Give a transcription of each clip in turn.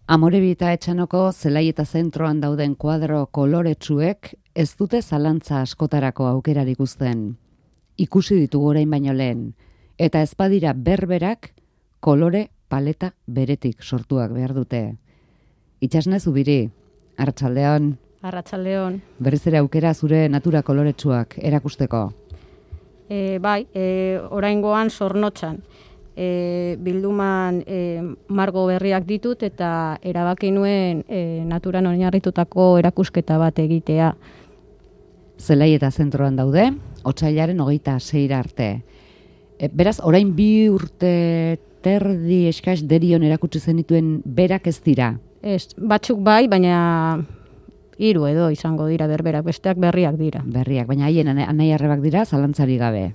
Amorebi eta Etxanoko zelai eta zentroan dauden kuadro koloretsuek ez dute zalantza askotarako aukerarik uzten. Ikusi ditugu orain baino lehen, eta ez badira berberak kolore paleta beretik sortuak behar dute. Itxasne Zubiri, arratsaldeon. Arratsaldeon. Berriz ere aukera zure natura koloretsuak erakusteko. Bai, oraingoan Zornotzan. Bilduman margo berriak ditut eta erabaki nuen naturan oinarritutako erakusketa bat egitea. Zelai eta zentroan daude, otsailaren 26 arte. Beraz, orain 2 urte terdi eskas derion erakutsi zenituen berak ez dira? Ez, batzuk bai, baina 3 edo izango dira berberak, besteak berriak dira. Berriak, baina haien anai arrebak dira, zalantzari gabe.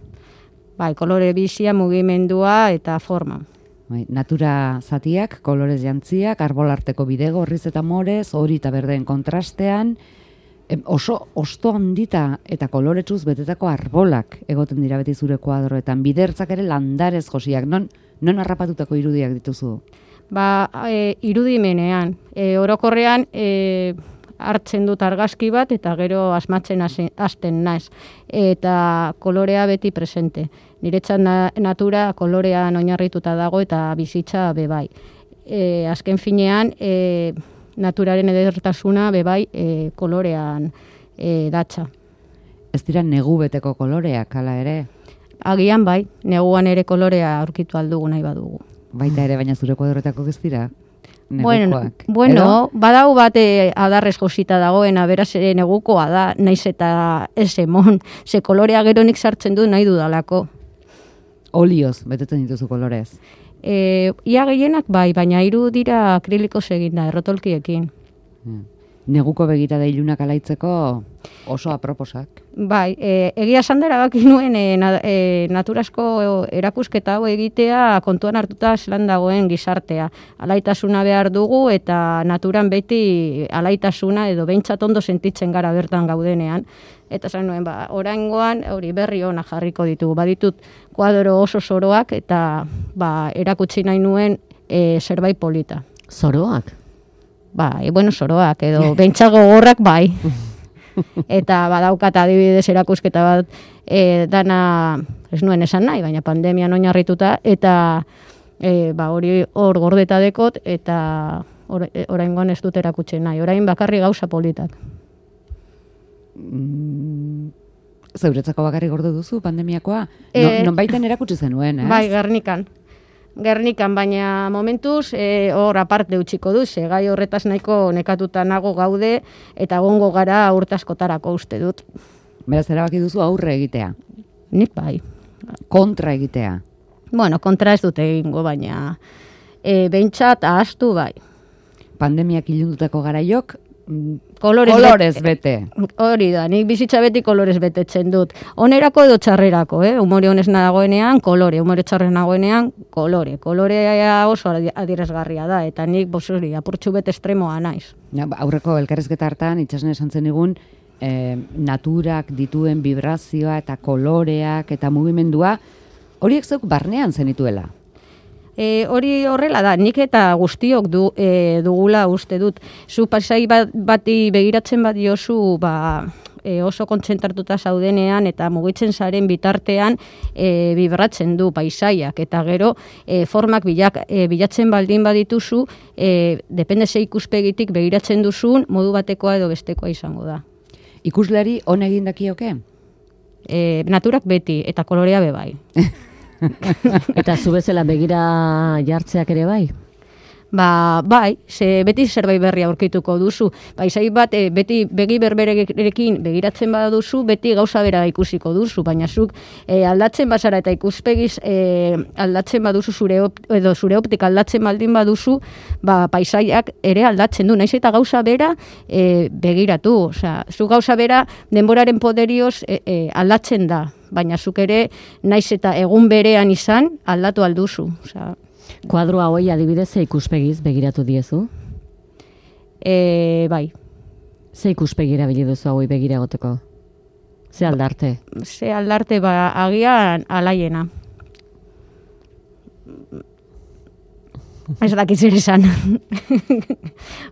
Bai, kolore bizia, mugimendua eta forma. Bai, natura zatiak, kolorez jantziak, arbolarteko bidegorriz eta morez, hori eta berdeen kontrastean, oso osto handita eta koloretsuz betetako arbolak egoten dira beti zure kuadroetan, bidertzak ere landarez josiak, non harrapatutako irudiak dituzu? Irudimenean, orokorrean hartzen dut argazki bat eta gero asmatzen hasten naiz. Eta kolorea beti presente. Niretzat natura kolorean oinarrituta dago eta bizitza bebai. Azken finean, naturaren edertasuna bebai kolorean datza. Ez dira negu beteko koloreak, hala ere? Agian bai, neguan ere kolorea aurkitu aldugu nahi badugu. Baita ere, baina zure kuadroetako ez dira? Bueno, badau bat adarrez josita dagoena, beraz negukoa da, naiz eta ez emon, ze kolorea geronik sartzen du nahi dudalako. Olioz, betetzen dituzu kolorez? Ia gehienak bai, baina 3 dira akrilikoz eginda, errotolkiekin. Neguko begirada ilunak alaitzeko oso aproposak. Bai, egia esan da erabaki nuen naturasko erakusketa hau egitea kontuan hartuta zelan dagoen gizartea. Alaitasuna behar dugu eta naturan beti alaitasuna edo behintzat ondo sentitzen gara bertan gaudenean. Eta esan nuen, oraingoan hori berri ona jarriko ditugu. Baditut kuadro oso zoroak eta erakutsi nahi nuen zerbait polita. Zoroak? Bai, zoroak edo behintzat gogorrak bai. Eta badaukat adibidez erakusketa bat dana ez nuen esan nahi, baina pandemian oinarrituta eta hori hor gordeta dekot eta oraingoan ez dut erakutsi nahi. Orain bakarri gauza politak. Zeuretzako bakarri gorde duzu pandemiakoa? Nonbaiten erakutsi zenuen, ez? Bai, Gernikan, baina momentuz hor aparte utziko du, gai horretaz nahiko nekatuta nago gaude eta egongo gara urte askotarako uste dut. Beraz, erabaki duzu aurre egitea? Nik bai. Kontra egitea? Bueno, kontra ez dute egingo, baina behintzat ahaztu bai. Pandemiak ilundutako garaiok, kolorez bete. Hori da, nik bizitza beti kolorez betetzen dut. Onerako edo txarrerako, humore honez nagoenean, kolore, humore txarren nagoenean, kolore. Kolorea oso adierazgarria da, eta nik apurtxu bet estremoa naiz. Aurreko elkarrizketa hartan, Itxasne esan zenigun, naturak dituen vibrazioa eta koloreak eta mugimendua, horiek zeuk barnean zenituela? Hori horrela da, nik eta guztiok dugula uste dut. Zu pasai bati begiratzen bat diozu, oso kontzentratuta zaudenean eta mugitzen zaren bitartean bibratzen du paisaiak. Eta gero formak bilatzen baldin badituzu, depende ze ikuspegitik begiratzen duzun, modu batekoa edo bestekoa izango da. Ikusleri on egin dakioke? Naturak beti, eta kolorea bebai. Eta zu bezala begira jartzeak ere bai? Bai, beti zerbait berri aurkituko duzu. Paisai bat beti begi berberekin begiratzen baduzu, beti gauza bera ikusiko duzu, baina zuk aldatzen bazara eta ikuspegiz aldatzen baduzu zure optika aldatzen baldin baduzu, paisaiak ere aldatzen du, naiz eta gauza bera begiratu. Osea, zu gauza bera denboraren poderioz aldatzen da, baina zuk ere naiz eta egun berean izan aldatu alduzu. Osea, kuadroa hoi adibidez ze ikuspegiz begiratu diezu? Bai. Ze ikuspegira bili duzu hauei begira egoteko? Ze aldarte? Ze aldarte, agian alaiena. Ez dakit zer esan.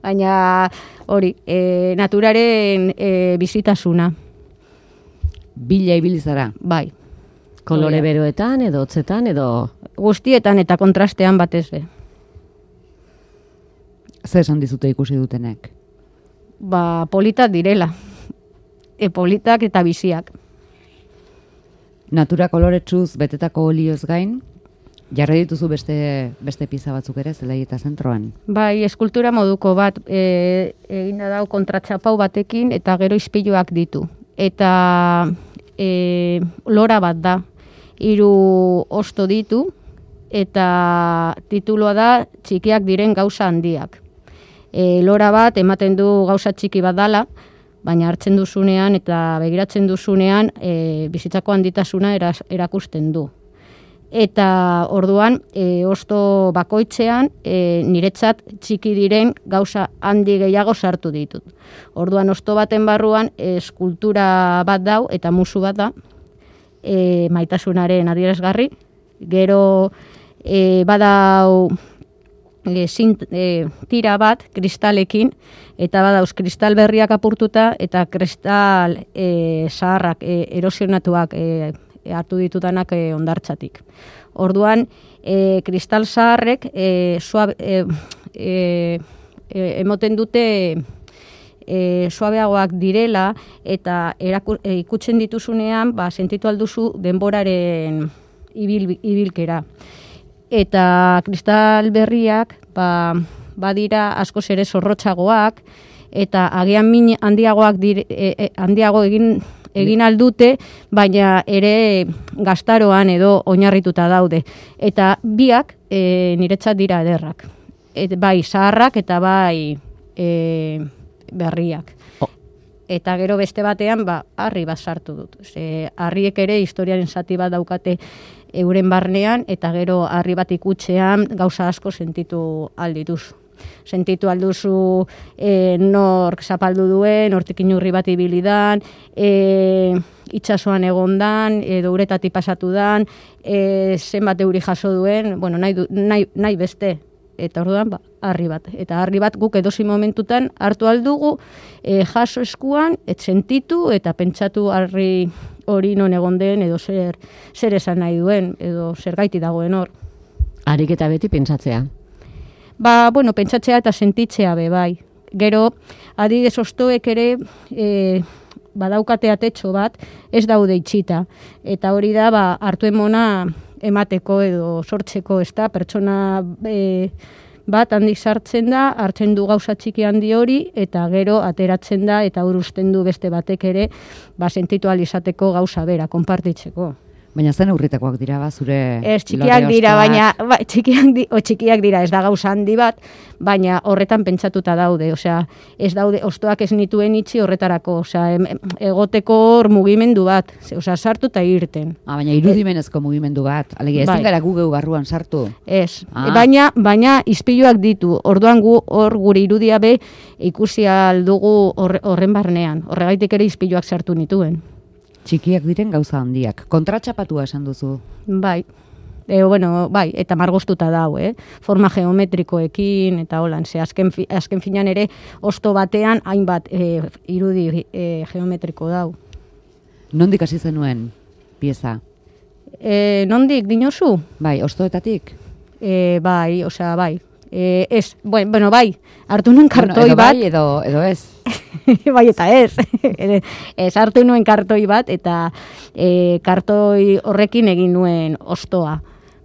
Baina hori, naturaren bizitasuna. Bila ibili zara. Bai. Kolore beroetan, edo hotzetan, edo... Guztietan eta kontrastean batez be. Zer esan dizute ikusi dutenek? Ba, politak direla. Politak eta biziak. Natura koloretsuz betetako olioz gain, jarri dituzu beste pieza batzuk ere Zelaieta zentroan. Bai, eskultura moduko bat egin dau kontratxapau batekin eta gero ispiluak ditu. Eta lora bat da, 3 osto ditu eta tituloa da txikiak diren gauza handiak. Lora bat ematen du gauza txiki bat dala, baina hartzen duzunean eta begiratzen duzunean bizitzako handitasuna erakusten du. Eta orduan, osto bakoitzean, niretzat txiki diren gauza handi gehiago sartu ditut. Orduan, osto baten barruan, eskultura bat dau eta musu bat da, maitasunaren adierazgarri. Gero, badau tira bat, kristalekin, eta badauz kristal berriak apurtuta, eta kristal zaharrak, erosionatuak hartu ditudanak ondartzatik. Orduan, kristal zaharrek emoten dute suabeagoak direla eta ikutzen dituzunean sentitu alduzu denboraren ibilkera. Eta kristal berriak badira askoz ere zorrotzagoak eta agian min handiago egin aldute, baina ere gaztaroan edo oinarrituta daude. Eta biak niretzat dira ederrak. Bai zaharrak eta bai berriak. Eta gero beste batean harri bat sartu dut. Harriek ere historiaren zati bat daukate euren barnean, eta gero harri bat ikutzean gauza asko sentitu aldituzu. Sentitu alduzu nork zapaldu duen, hortik inurri bat ibilidan, itxasoan egondan, edo uretatik pasatu dan, zenbat euri jaso duen, bueno, nahi beste. Eta orduan, harri bat. Eta harri bat guk edozi momentutan hartu aldugu, jaso eskuan, sentitu eta pentsatu harri hori non egon den, edo zer esan nahi duen, edo zer gaiti dagoen hor. Harik eta beti pentsatzea. Bueno, pentsatzea eta sentitzea bai. Gero, adibidez ostoek ere badaukate atetxo bat, ez daude itxita. Eta hori da, hartu emona emateko edo sortzeko, ez da, pertsona bat handik sartzen da, hartzen du gauza txiki handi hori, eta gero ateratzen da, eta urusten du beste batek ere, sentitu alizateko gauza bera, konpartitzeko. Baina zen urritakoak dira, zure... Ez, txikiak dira, baina txikiak dira, ez da gauza handi bat, baina horretan pentsatuta daude, osea, ez daude, ostoak ez nituen itxi horretarako, osea, egoteko hor mugimendu bat, osea, sartu eta irten. Baina irudimenezko mugimendu bat, alegia, ezin gara gu geu barruan sartu. Ez, baina izpiluak ditu, orduan hor gure irudia be ikusi aldugu horren barnean, horregaitik ere izpiluak sartu nituen. Txikiak diren gauza handiak. Kontratxapatua esan duzu. Bai. Bai, eta margostuta dau, forma geometrikoekin, eta holan, azken finan ere, osto batean, hainbat irudi geometriko dau. Nondik hasi zenuen pieza? Nondik, dinozu? Bai, ostoetatik? Bai, osea, bai. Ez, bai, hartu nuen kartoi bat. Bai, edo ez. Bai, eta ez. Ez hartu nuen kartoi bat, eta kartoi horrekin egin nuen ostoa.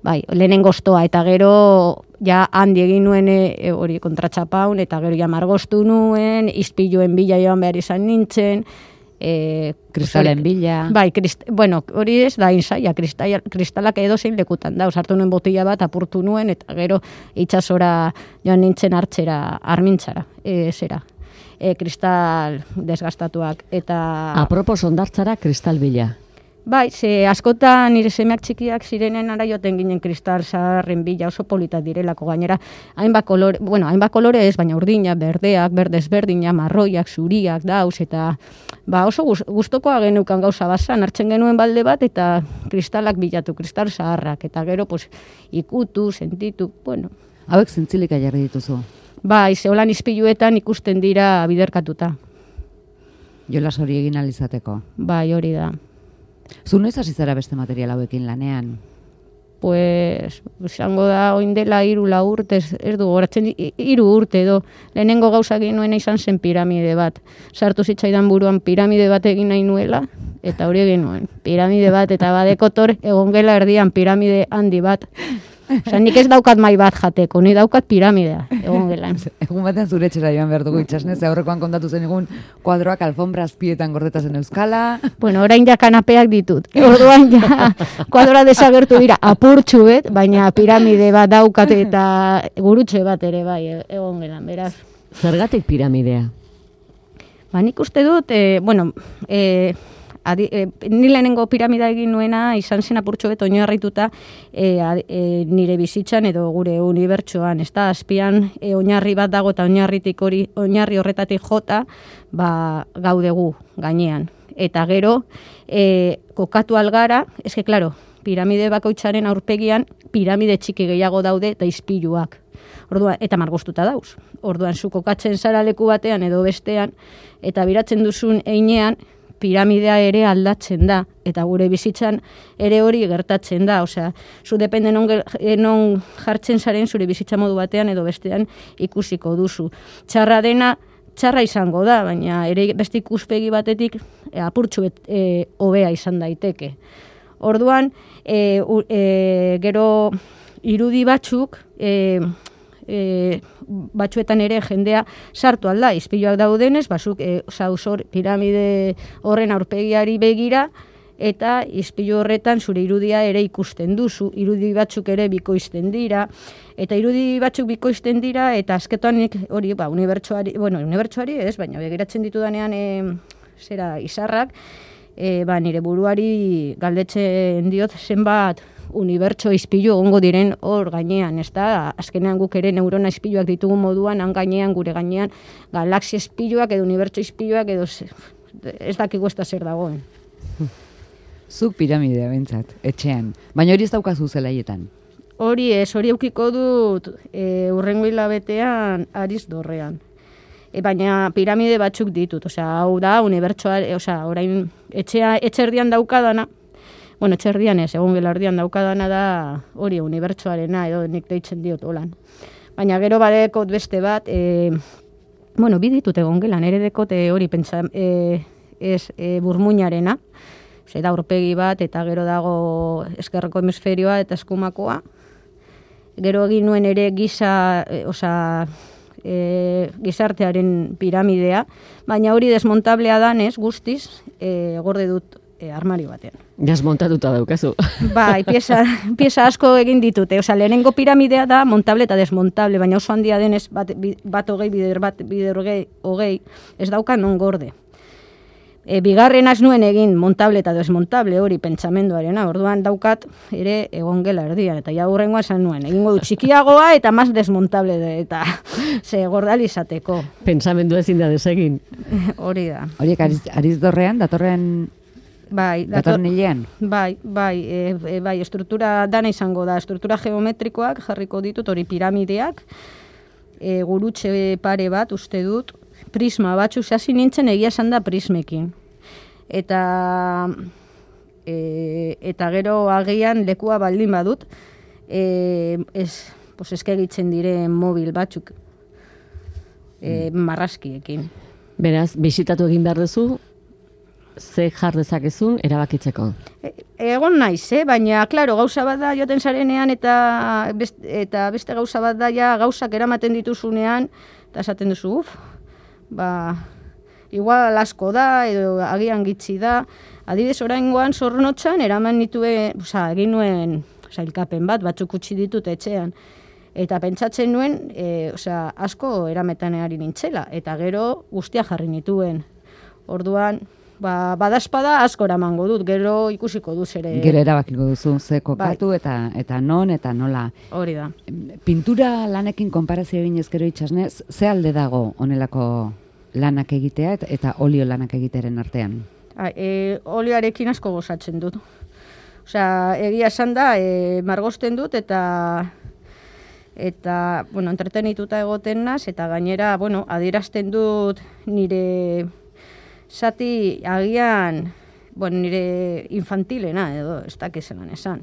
Bai, lehenengo ostoa, eta gero ja handi egin nuen hori kontratxapaun, eta gero ja margostu nuen, izpiluen bila joan behar izan nintzen, kristalen bila. Bai, hori ez da insaia, kristalak edo zein lekutan da, hartu nuen botila bat, apurtu nuen, eta gero itxasora joan nintzen hartzera, armintzara, kristal desgastatuak. Apropos ondartzara kristal bila. Bai, askotan nire semeak txikiak zirenen ara joten ginen kristal zaharren bila, oso politak direlako gainera. Hainbat kolore ez, baina urdina, berdeak, berdezberdina, marroiak, zuriak, dauz, eta oso gustokoa genukan gauza bazan, hartzen genuen balde bat, eta kristalak bilatu, kristal zaharrak, eta gero ikutu, sentitu, bueno. Hauek zintzilika jarri dituzu. Bai, zeholan ispiluetan ikusten dira biderkatuta. Jolas hori egin alizateko. Bai, hori da. Zu noiz hasi zara beste material hauekin lanean? Pues, izango da, oin dela 3-4 urte, ez du, goratzen 3 urte edo. Lehenengo gauza egin nuena izan zen piramide bat. Sartu zitzaidan buruan piramide bat egin nahi nuela, eta hori egin nuen. Piramide bat, eta badekotor egon gela erdian piramide handi bat. Osa, nik ez daukat mai bat jateko, ni daukat piramidea, egon gelan. Egun batean zure etxera joan behar dugu itxasnez, aurrekoan kontatu zen egun kuadroak alfombra azpietan gordetazen euskala. Bueno, orain ja kanapeak ditut. Orduan ja kuadroa desagertu dira apurtxuet, baina piramide bat daukat eta gurutxe bat ere bai, egon gelan, beraz. Zergatik piramidea? Ba, nik uste dut, ni lehenengo piramida egin nuena izan zen apurtxo bet oinarrituta nire bizitzan edo gure unibertsoan, ez da, azpian oinarri bat dago eta oinarri horretatik jota gaudegu gainean. Eta gero, kokatu algara, eske, klaro, piramide bakoitzaren aurpegian piramide txiki gehiago daude eta ispiluak. Orduan, eta margostuta dauz. Orduan, zu kokatzen zara leku batean edo bestean, eta biratzen duzun einean, piramidea ere aldatzen da, eta gure bizitzan ere hori gertatzen da, osea, zu depende non jartzen zaren zure bizitza modu batean edo bestean ikusiko duzu. Txarra dena, txarra izango da, baina ere beste ikuspegi batetik apurtxu hobea izan daiteke. Orduan, gero irudi batzuk, batzuetan ere jendea sartu alda, ispiluak daudenez, bazuk piramide horren aurpegiari begira, eta ispilu horretan zure irudia ere ikusten duzu, irudi batzuk ere bikoizten dira, eta irudi batzuk bikoizten dira, eta azketan hori, unibertsoari ez, baina begiratzen ditudanean izarrak, nire buruari galdetzen diot zenbat unibertso ispilu egongo diren hor gainean, ez da? Azkenean guk ere neurona ispiluak ditugu moduan, han gainean, gure gainean, galaxia ispiluak edo unibertso ispiluak edo ez dakigu ez da zer dagoen. Zuk piramidea bentsat, etxean. Baina hori ez daukazu zelaietan. Hori ez, hori eukiko dut hurrengo hilabetean Ariz Dorrean. Baina piramide batzuk ditut, hau da, unibertsoa, orain etxerdian daukadana, etxerdian ez, egon gelardian daukadana da hori unibertsoarena, edo nik deitzen diot holan. Baina gero badekot beste bat, bi ditut egon gelan, ere dekot hori pentsa, burmuinarena, da aurpegi bat, eta gero dago eskerreko hemisferioa eta eskumakoa. Gero egin nuen ere gizartearen piramidea, baina hori desmontablea danez guztiz, gorde dut armario batean. Desmontatuta daukazu. Bai, pieza asko egin ditute. Lehenengo piramidea da montable eta desmontable, baina oso handia denez bat hogei, bider hogei, ez dauka non gorde. Bigarren az nuen egin montable eta desmontable hori pentsamenduarena, orduan daukat ere egon gela erdian, eta ja hurrengoa esan nuen, egingo du txikiagoa eta maz desmontable eta ze gordalizateko. Pentsamendu ezin da desegin. Hori da. Horiek Ariz Dorrean, datorren hilean? Bai, estruktura dana izango da, estruktura geometrikoak jarriko ditut, hori piramideak, gurutxe pare bat uste dut, prisma batzuk, hasi nintzen egia esan da prismekin. Eta gero agian lekua baldin badut, eskegitzen diren mobil batzuk, marrazkiekin. Beraz, bisitatu egin behar duzu, ze jar dezakezun erabakitzeko? Egon naiz, baina, klaro, gauza bat da joaten zarenean eta beste gauza bat da ja gauzak eramaten dituzunean, eta esaten duzu, igual asko da, edo agian gitzi da. Adibidez, oraingoan Zornotzan eraman nituen, egin nuen sailkapen batzuk utzi ditut etxean. Eta pentsatzen nuen, asko erametan ari nintzela, eta gero guztia jarri nituen. Orduan, badazpada asko eramango dut, gero ikusiko duz ere. Gero erabakiko duzu, ze kokatu eta non eta nola. Hori da. Pintura lanekin konparazio egin ezkero itxasne, ze alde dago honelako lanak egitea eta olio lanak egitearen artean? Olioarekin asko gozatzen dut. Egia esan da, margosten dut eta eta, bueno, entretenituta egoten naz, eta gainera, bueno, adierazten dut nire zati agian, bueno, nire infantilena, edo, ez dakizelan esan.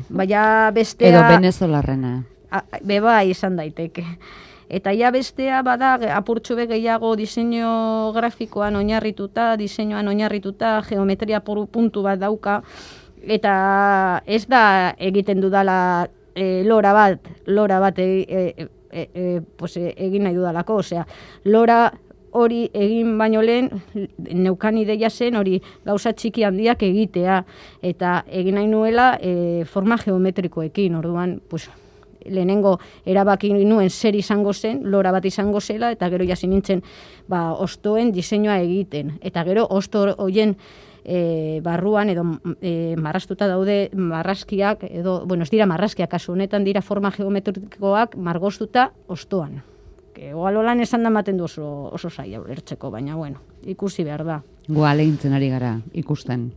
Baina bestea... Edo venezolarrena. Beba izan daiteke. Eta ja bestea bada apurtxo gehiago diseinu grafikoan oinarrituta, diseinuan oinarrituta, geometria puntu bat dauka, eta ez da egiten dudala lora bat egin nahi dudalako, osea, lora hori egin baino lehen, neukan ideia zen hori gauza txiki handiak egitea, eta egin nahi nuela forma geometrikoekin, orduan, pues, lehenengo erabaki nuen zer izango zen, lora bat izango zela, eta gero jasi nintzen ostoen diseinua egiten. Eta gero osto horien barruan edo marrastuta daude marrazkiak, edo, bueno, ez dira marrazkiak, kasu honetan dira forma geometrikoak margoztuta ostoan. Igual holan esan da maten du oso zaila ulertzeko, baina, bueno, ikusi behar da. Goalegintzen ari gara, ikusten.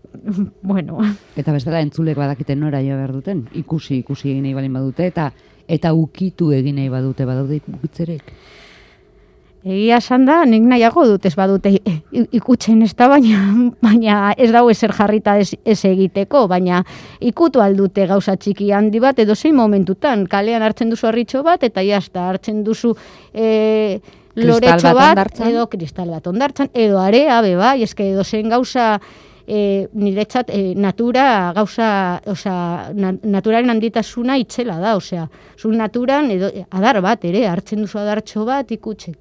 Bueno. Eta bestela entzulek badakiten nora jo behar duten, ikusi egin nahi balin badute, eta ukitu egin nahi badute, badaude ukitzerek. Egia esan da, nik nahiago dut ez badute ikutzen ez da, baina ez dago ezer jarrita ez egiteko, baina ikutu aldute gauza txiki handi bat, edo zein momentutan, kalean hartzen duzu harritxo bat, eta jazta hartzen duzu loretxo bat, edo kristal bat ondartzan, edo area, bai, eske edo zein gauza niretzat natura gauza, naturaren handitasuna itzela da, osea, zu naturan edo adar bat ere, hartzen duzu adartxo bat ikutzen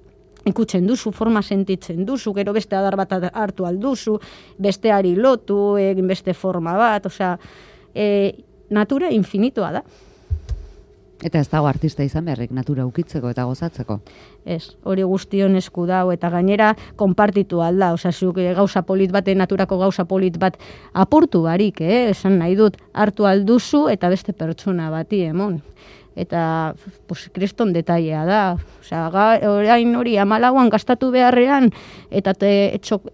duzu, forma sentitzen duzu, gero beste adar bat hartu alduzu, besteari lotu, egin beste forma bat, osea, natura infinitoa da. Eta ez dago artista izan beharrik natura ukitzeko eta gozatzeko. Ez, hori guztion esku dau, eta gainera konpartitu alda, osea, zuk gauza polit bat, naturako gauza polit bat apurtu barik, esan nahi dut, hartu alduzu eta beste pertsona bati emon. Eta, pues, kriston detailea da. Osea, orain hori 14an gastatu beharrean, eta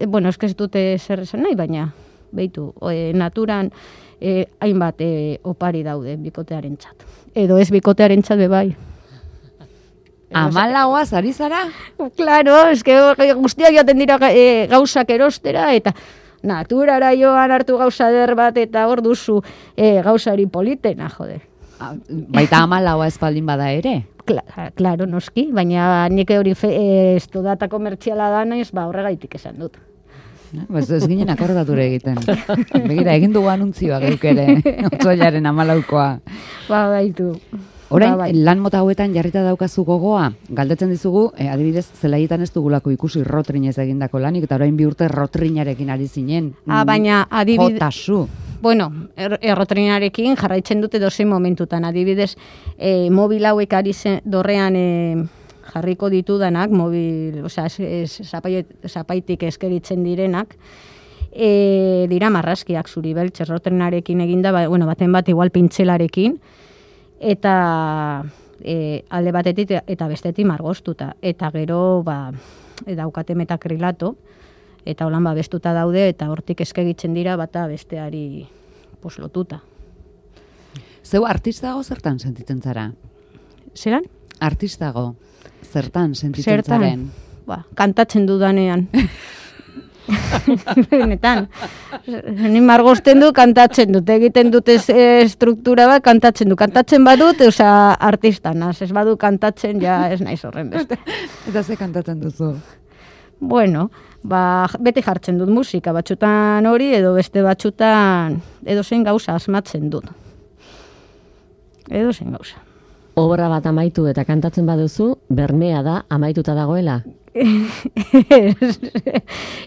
bueno, ez dute zer esan nahi, baina, beitu, naturan hainbat opari daude bikotearen txat. Edo ez bikotearen txat bebai. 14 ari zara? Claro, eske guztiak joaten dira gauzak erostera, eta naturara joan hartu gauza der bat, eta hor duzu gauzari politena, jode. Baita 14 espaldin bada ere? Claro, noski, baina nik hori ez data komertziala da naiz, horregaitik esan dut. Ez ginen akordature egiten. Begira, egin dugu anuntzioa geuk ere, otsoilaren 14koa. Baitu. Orain, lan mota hauetan jarrita daukazu gogoa, galdetzen dizugu, adibidez, zelaietan ez dugulako ikusi rotrinez egindako lanik, eta orain 2 urte rotrinarekin ari zinen. Baina, adibidez... Jotasu. Bueno, errotrinarekin jarraitzen dute dozein momentutan, adibidez, mobil hauek ari dorrean jarriko ditudanak, mobil, osea, zapaitik eskeritzen direnak, dira marrazkiak zuri beltz, errotrinarekin eginda, bueno, baten bat igual pintzelarekin, eta alde batetik eta bestetik margoztuta, eta gero, daukate metakrilato, eta holan bestuta daude, eta hortik eskegitzen dira bata besteari lotuta. Zeu artistago zertan sentitzen zara? Zeran? Artistago zertan sentitzen zaren? Kantatzen dudanean. Benetan. Ni margozten du, kantatzen dut. Egiten dute struktura bat, kantatzen du. Kantatzen badut, artista naz. Ez badu kantatzen, ja ez naiz horren beste. Eta ze kantatzen duzu? Bueno, beti jartzen dut musika, batzutan hori, edo beste batzutan edo zein gauza asmatzen dut. Edo zein gauza. Obra bat amaitu eta kantatzen baduzu, bermea da amaituta dagoela?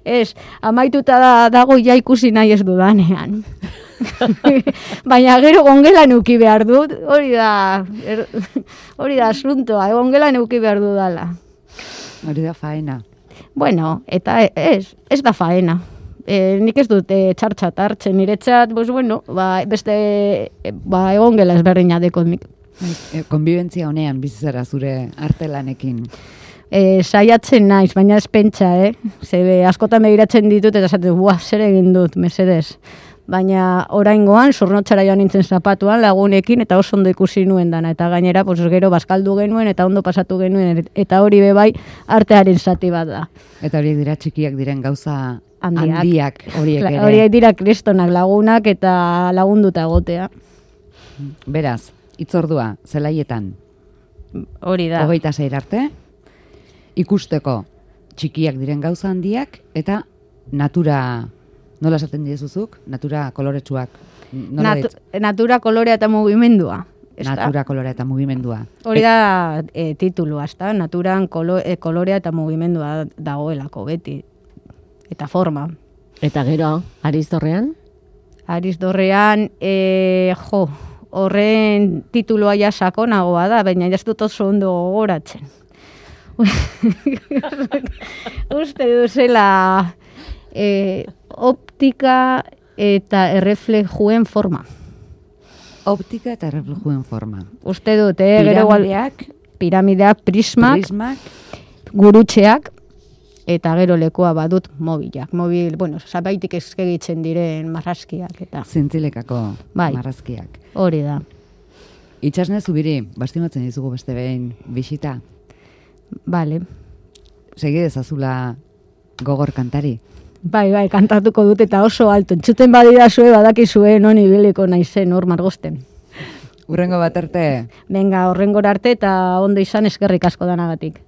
Ez, amaituta dago ja ikusi nahi ez dudanean. Baina gero gongelan uki behar dut, hori da asuntoa, gongelan uki behar dudala. Hori da faena. Bueno, eta ez da faena. Nik ez dut txartxat hartzen niretzat, beste egongela ezberdina dekot nik. Konbibentzia honean bizitzara zure artelanekin. Saiatzen naiz, baina ez pentsa, Zebe askotan begiratzen ditut eta esaten, zer egin dut, mesedez. baina oraingoan zornotzara joan nintzen zapatuan lagunekin eta oso ondo ikusi nuen dana, eta gainera pues, gero bazkaldu genuen eta ondo pasatu genuen, eta hori bebai artearen zati bat da. Eta horiek dira txikiak diren gauza handiak horiek ere. Horiek dira kristonak lagunak eta lagunduta egotea. Beraz, itzordua, zelaietan, Hori da. 26 arte, ikusteko txikiak diren gauza handiak, eta natura, nola esaten diezuzuk? Natura koloretsuak. Natura kolorea eta mugimendua. Natura kolorea eta mugimendua. Hori da titulua, ezta? Naturan kolorea eta mugimendua dagoelako beti. Eta forma. Eta gero, Arizdorrean? Arizdorrean, horren titulua ja sakonagoa da, baina ez dut oso ondo gogoratzen. Uste duzela optika eta erreflejuen forma. Optika eta erreflejuen forma. Uste dut, gero piramideak, prismak, gurutxeak, eta gero lekoa badut mobilak. Bueno, zabaitik eskegitzen diren marrazkiak. Eta. Zintzilekako bai, marrazkiak. Hori da. Itxasne Zubiri, bastimatzen dizugu beste behin bisita. Bale. Segi dezazula gogor kantari. Bai, kantatuko dut eta oso alto. Entzuten badidazue, badakizue, non ibiliko naizen hor margosten. Urrengo bat arte. Venga, horrengora arte eta ondo izan eskerrik asko danagatik.